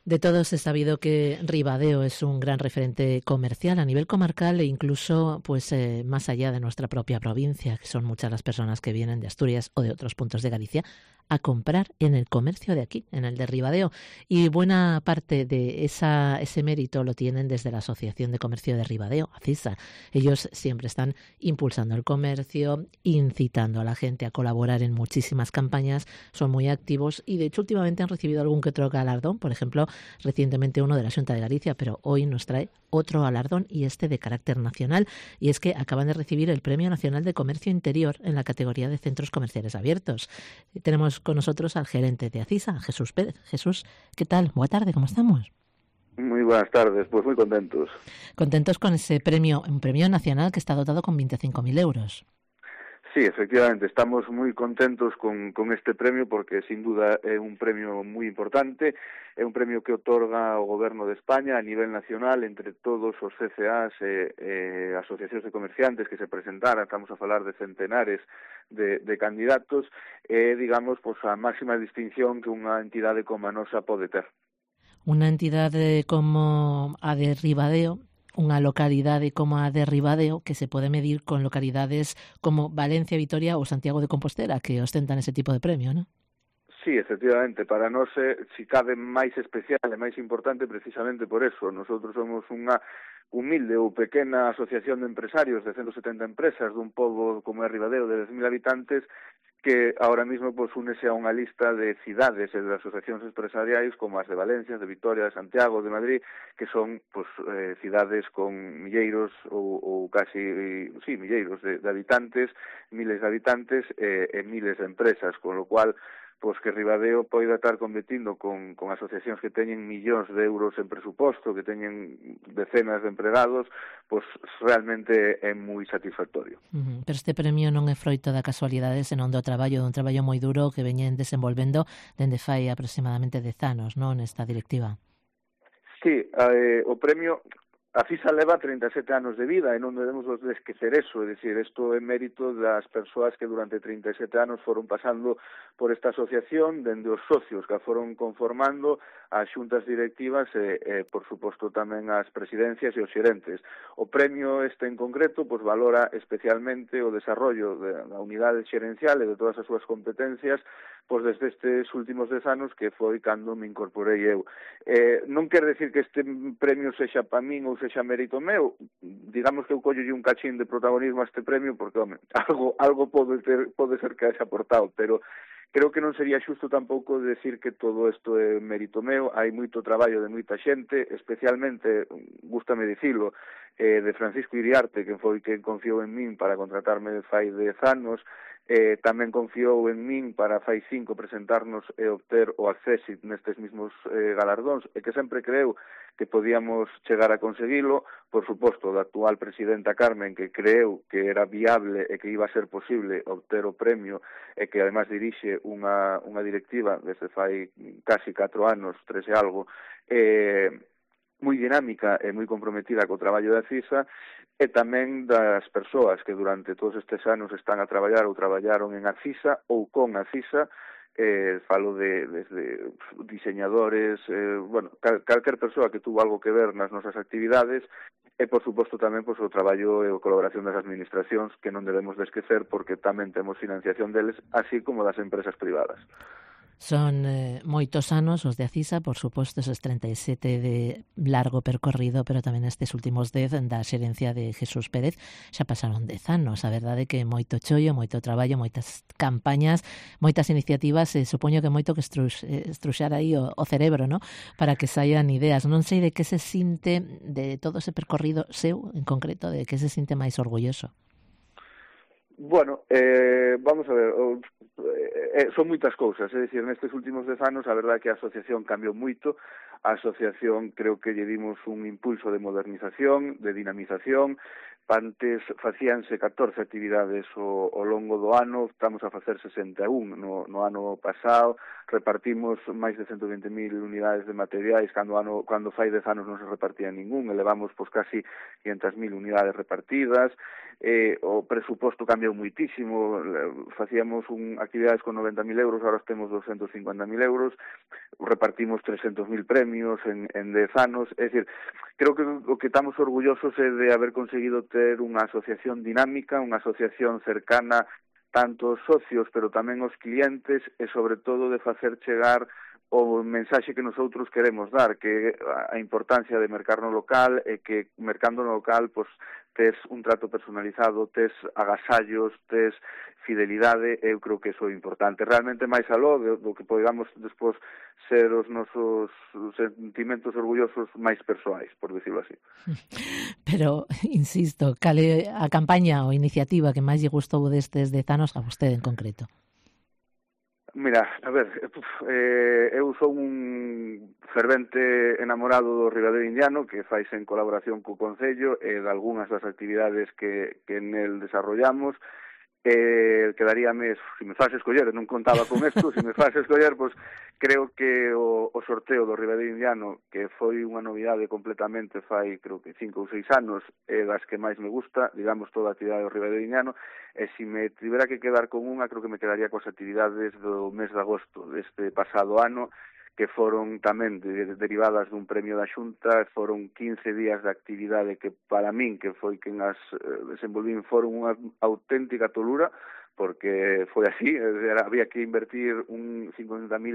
De todos es sabido que Ribadeo es un gran referente comercial a nivel comarcal e incluso más allá de nuestra propia provincia, que son muchas las personas que vienen de Asturias o de otros puntos de Galicia a comprar en el comercio de aquí, en el de Ribadeo. Y buena parte de ese mérito lo tienen desde la Asociación de Comercio de Ribadeo, ACISA. Ellos siempre están impulsando el comercio, incitando a la gente a colaborar en muchísimas campañas, son muy activos y de hecho últimamente han recibido algún que otro galardón, por ejemplo, recientemente uno de la Xunta de Galicia, pero hoy nos trae otro galardón y este de carácter nacional, y es que acaban de recibir el Premio Nacional de Comercio Interior en la categoría de Centros Comerciales Abiertos. Tenemos con nosotros al gerente de ACISA, Jesús Pérez. Jesús, ¿qué tal? Buena tarde, ¿cómo estamos? Muy buenas tardes, pues muy contentos. Contentos con ese premio, un premio nacional que está dotado con 25.000 euros. Sí, efectivamente, estamos moi contentos con este premio porque, sin duda, é un premio moi importante, é un premio que otorga o Goberno de España a nivel nacional entre todos os CCAs e asociacións de comerciantes que se presentaran, estamos a falar de centenares de candidatos, e, digamos, pues, a máxima distinción que unha entidade como a nosa pode ter. Unha entidade como a de Ribadeo, unha localidade como a de Ribadeo que se pode medir con localidades como Valencia, Vitoria ou Santiago de Compostela que ostentan ese tipo de premio, non? Sí, efectivamente, para nós si cabe máis especial e máis importante precisamente por eso. Nosotros somos unha humilde ou pequena asociación de empresarios de 170 empresas dun pobo como é Ribadeo de 10.000 habitantes que ahora mismo pues únese a unha lista de cidades e de asociacións empresariais como as de Valencia, de Vitoria, de Santiago, de Madrid, que son pues cidades con milleiros ou casi, sí, milleiros de habitantes, miles de habitantes e miles de empresas, con lo cual pois que Ribadeo poida estar competindo con asociacións que teñen millóns de euros en presuposto, que teñen decenas de empregados, pois realmente é moi satisfactorio. Pero este premio non é froito da casualidade, senón dun traballo moi duro que veñen desenvolvendo dende fai aproximadamente 10 anos, non, nesta directiva? Sí, o premio a FISA leva 37 anos de vida e non debemos de esquecer eso, é dicir, isto é mérito das persoas que durante 37 anos foron pasando por esta asociación, dende os socios que a foron conformando, as xuntas directivas e por suposto, tamén as presidencias e os xerentes. O premio este en concreto pois valora especialmente o desarrollo da unidade xerencial e de todas as súas competencias pois desde estes últimos 10 anos que foi cando me incorporei eu. Non quer decir que este premio sexa para min ou sexa mérito meu, digamos que eu collolle un cachín de protagonismo a este premio porque, home, algo pode ser que haxa aportado, pero creo que non sería xusto tampouco decir que todo isto é mérito meu. Hai moito traballo de moita xente, especialmente, gústame dicilo, de Francisco Iriarte, que foi quen confiou en min para contratarme fai 10 anos, tamén confiou en min para fai 5 presentarnos e obter o accésit nestes mismos galardóns, e que sempre creu que podíamos chegar a conseguilo, por suposto, da actual presidenta Carmen, que creu que era viable e que iba a ser posible obter o premio, e que además dirixe unha directiva desde fai casi 4 anos, 3 e algo, moi dinámica e moi comprometida co traballo da CISA, e tamén das persoas que durante todos estes anos están a traballar ou traballaron en ACISA ou con ACISA, falo desde diseñadores, calquer persoa que tuvo algo que ver nas nosas actividades, e, por suposto, tamén o traballo e a colaboración das administracións, que non debemos de esquecer porque tamén temos financiación deles, así como das empresas privadas. Son moitos anos os de ACISA, por suposto, esos 37 de largo percorrido, pero tamén estes últimos 10 da xerencia de Jesús Pérez xa pasaron 10 anos. A verdade é que moito chollo, moito traballo, moitas campañas, moitas iniciativas, supoño que moito que estruxar aí o cerebro, ¿no? Para que saian ideas. Non sei de que se sinte de todo ese percorrido seu, en concreto, de que se sinte máis orgulloso. Bueno, vamos a ver, son moitas cousas, é dicir, nestes últimos 10 anos a verdade é que a asociación cambiou moito, a asociación creo que lle dimos un impulso de modernización, de dinamización. Antes facíanse 14 actividades ao longo do ano, estamos a facer 61 no ano pasado, repartimos máis de 120.000 unidades de materiais, cando fai 10 anos non se repartía ningún, elevamos pois casi 500.000 unidades repartidas, o presuposto cambiou muitísimo, facíamos actividades con 90.000 euros, agora temos 250.000 euros, repartimos 300.000 premios en 10 anos, é dicir, creo que o que estamos orgullosos é de haber conseguido ter unha asociación dinámica, unha asociación cercana tanto os socios, pero tamén os clientes, e sobre todo de facer chegar o mensaxe que nosotros queremos dar, que a importancia de mercar no local e que mercando no local pois tes un trato personalizado, tes agasallos, tes fidelidade, eu creo que iso é importante. Realmente máis aló do que podamos despois ser os nosos sentimentos orgullosos máis persoais, por decirlo así. Pero, insisto, cal é a campaña ou iniciativa que máis lle gustou destes 10 anos a vostede en concreto? Mira, a ver, eu sou un fervente enamorado do Ribadeo Indiano, que faise en colaboración co Concello e de algunhas das actividades que nel desarrollamos. Quedaríame, se me faz escoller, non contaba con isto, se me faz escoller, pois creo que o sorteo do Ribadeo Indiano, que foi unha novidade completamente fai, creo que 5 ou 6 anos, é das que máis me gusta, digamos, toda a actividade do Ribadeo Indiano, e se me tivera que quedar con unha, creo que me quedaría coas actividades do mes de agosto deste pasado ano, que foron tamén derivadas dun premio da Xunta, foron 15 días de actividade que para min, que foi quen as desenvolvín, foron unha auténtica tolura, porque foi así, había que invertir 50.000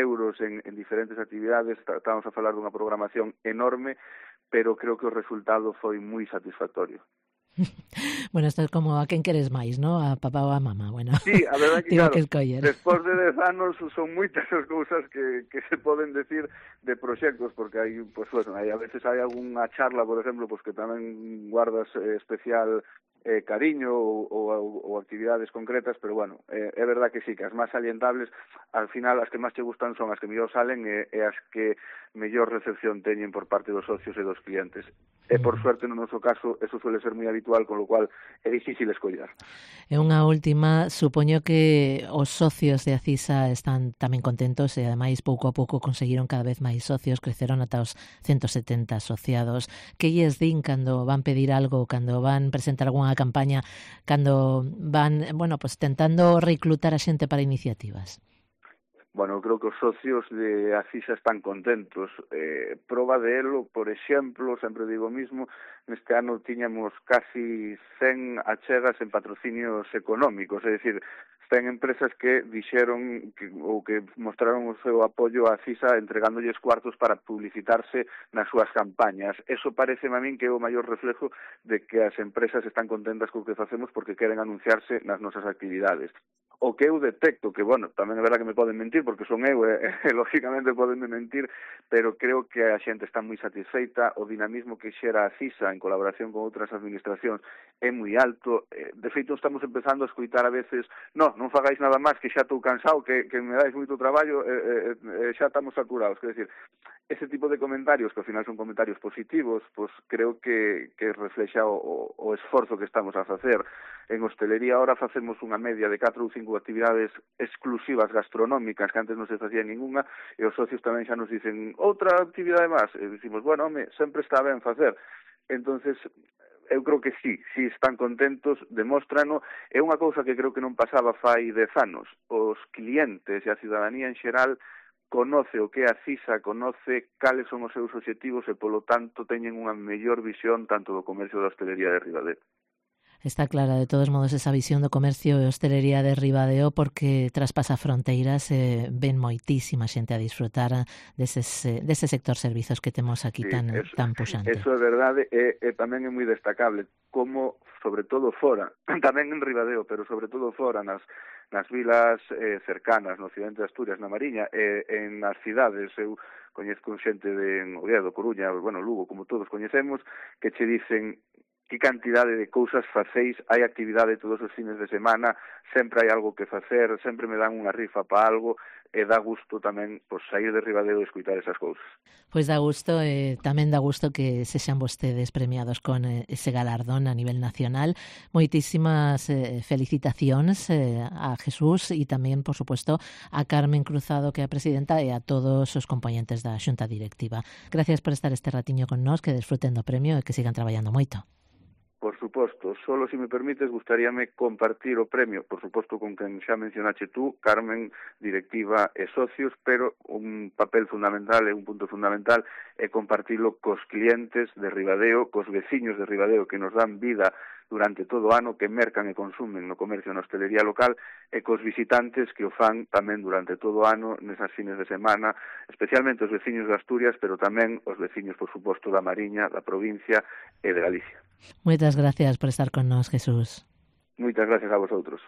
euros en diferentes actividades, estábamos a falar dunha programación enorme, pero creo que o resultado foi moi satisfactorio. Bueno, isto é como a quen queres máis, ¿no? A papá ou a mamá, bueno. Sí, a verdade que, claro, que despois de 10 anos son moitas as cousas que se poden decir de proxectos, porque hai, pues, bueno, a veces hai algunha charla, por exemplo, pues, que tamén guardas especial cariño ou actividades concretas, pero bueno, é verdad que sí, que as máis salientables, al final, as que máis te gustan son as que mellor salen e as que mellor recepción teñen por parte dos socios e dos clientes. E, por suerte, no noso caso, eso suele ser moi habitual, con lo cual é difícil escollar. E unha última, supoño que os socios de Acisa están tamén contentos e, ademais, pouco a pouco conseguiron cada vez máis socios, creceron ata os 170 asociados. Que lles din cando van pedir algo, cando van presentar algunha campaña, cando van, bueno, pues tentando reclutar a xente para iniciativas? Bueno, eu creo que os socios de Acisa están contentos. Proba de elo, por exemplo, sempre digo o mismo, neste ano tiñamos casi 100 achegas en patrocinios económicos, é dicir, 100 empresas que dixeron que mostraron o seu apoio a Acisa entregándolles cuartos para publicitarse nas súas campañas. Eso parece a min que é o maior reflejo de que as empresas están contentas co que facemos porque queren anunciarse nas nosas actividades. O que eu detecto, que, bueno, tamén é verdad que me poden mentir, porque son eu, lógicamente podenme mentir, pero creo que a xente está moi satisfeita, o dinamismo que xera a CISA en colaboración con outras administracións é moi alto. De feito, estamos empezando a escoitar a veces, non fagáis nada máis, que xa estou cansado, que me dais moito traballo, xa estamos saturados. Quer decir, ese tipo de comentarios, que ao final son comentarios positivos, pues creo que reflexa o esforzo que estamos a facer. En hostelería ahora facemos unha media de 4 ou 5 actividades exclusivas gastronómicas que antes non se facía ninguna, e os socios tamén xa nos dicen outra actividade máis, e dicimos, bueno, home, sempre está ben facer. Entonces, eu creo que sí están contentos, demóstrano. É unha cousa que creo que non pasaba fai 10 anos. Os clientes e a cidadanía en xeral conoce o que é a CISA, conoce cales son os seus obxectivos e, polo tanto, teñen unha mellor visión tanto do comercio da hostelería de Ribadeo. Está clara, de todos modos, esa visión do comercio e hostelería de Ribadeo, porque traspasa fronteiras, ven moitísima xente a disfrutar dese sector servizos que temos aquí tan puxante. Eso é verdade, e tamén é moi destacable como, sobre todo fora, tamén en Ribadeo, pero sobre todo fora, nas vilas cercanas, no occidente de Asturias, na Mariña, e en as cidades, eu coñezco xente de Oviedo, Coruña, bueno, Lugo, como todos coñecemos, que che dicen, que cantidade de cousas facéis, hai actividade todos os fines de semana, sempre hai algo que facer, sempre me dan unha rifa para algo, e dá gusto tamén pois, sair de Ribadeo e escutar esas cousas. Pois dá gusto, tamén dá gusto que sexan vostedes premiados con ese galardón a nivel nacional. Moitísimas felicitacións a Jesús e tamén, por suposto, a Carmen Cruzado, que é a presidenta, e a todos os componentes da Xunta Directiva. Gracias por estar este ratiño con nós, que desfruten do premio e que sigan traballando moito. Por suposto, solo se me permites gustaríame compartir o premio, por suposto con quen xa mencionaste tú, Carmen, directiva e socios, pero un papel fundamental e un punto fundamental é compartilo cos clientes de Ribadeo, cos veciños de Ribadeo que nos dan vida durante todo o ano, que mercan e consumen no comercio e na hostelería local, e cos visitantes que o fan tamén durante todo o ano, nesas fines de semana, especialmente os veciños de Asturias, pero tamén os veciños, por suposto, da Mariña, da provincia e de Galicia. Moitas gracias por estar con nós, Jesús. Moitas gracias a vosotros.